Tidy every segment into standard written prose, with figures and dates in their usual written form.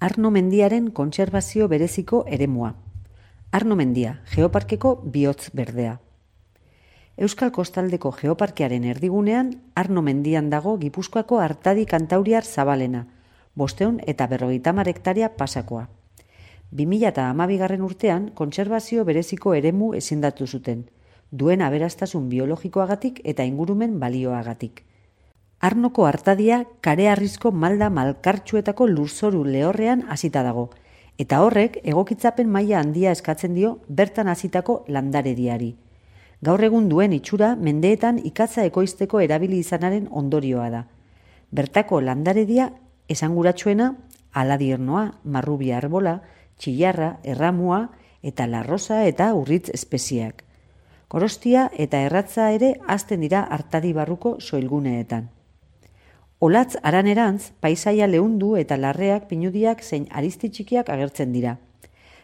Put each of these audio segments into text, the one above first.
Arno mendiaren kontserbazio bereziko eremua. Arno mendia, geoparkeko bihotz berdea. Euskal Kostaldeko Geoparkearen erdigunean, Arno mendian dago Gipuzkoako Artadi Kantauriar zabalena, 550 hektaria pasakoa. 2012 urtean, kontserbazio bereziko eremu ezindatu zuten, duen aberastasun biologikoagatik eta ingurumen balioagatik. Arnoko Artadia kareharrizko malda malkartsuetako lurzoru lehorrean hasita dago, eta horrek egokitzapen maila handia eskatzen dio bertan hasitako landarediari. Gaur egun duen itxura mendeetan ikatza ekoizteko erabili izanaren ondorioa da. Bertako landaredia esanguratsuena aladiernoa, marrubia arbola, txillarra, erramua eta larrosa eta urritz espezieak. Korostia eta erratza ere hazten dira Artadi barruko soilguneetan. Olatz haranerantz, paisaia leundu eta larreak, pinudiak zein aristi txikiak agertzen dira.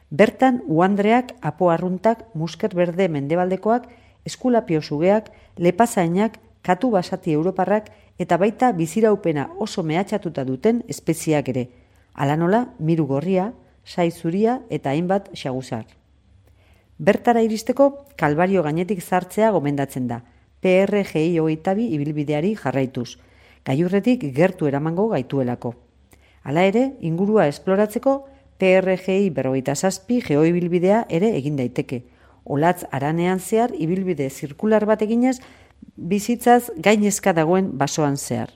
Bertan, uandreak, apo arruntak, musker berde mendebaldekoak, eskulapio sugeak, lepazainak, katu basati europarrak eta baita biziraupena oso mehatxatuta duten espeziak ere, hala nola miru gorria, sai zuria eta hainbat xaguzar. Bertara iristeko, Kalbario gainetik zartzea gomendatzen da, PRGI 22 ibilbideari jarraituz, gailurretik gertu eramango gaituelako. Hala ere, ingurua esploratzeko PRGI 47 geoibilbidea ere egin daiteke. Olatz haranean zehar ibilbide zirkular bat eginez, bizitzaz gainezka dagoen basoan zehar.